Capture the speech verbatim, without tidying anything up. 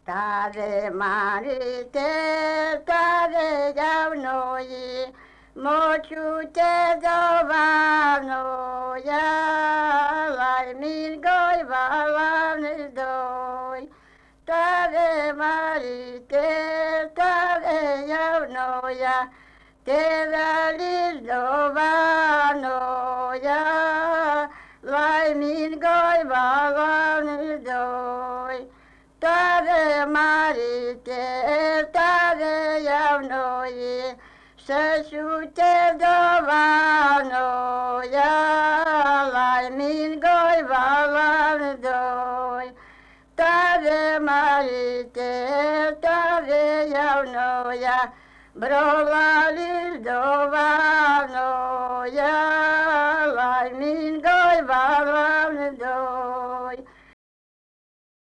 Tare marite, tare javnoji, moću te dovano, ja vaj min goj valan doj. Tare marite, tare javnoja, te valis dovano, ja vaj min goj valan doj. Tare marite, tare javnoji, se te dovano, ja vaj min goj valan doj. Tare marite, tare javnoja, brovalis dovano, ja vaj min goj valan doj.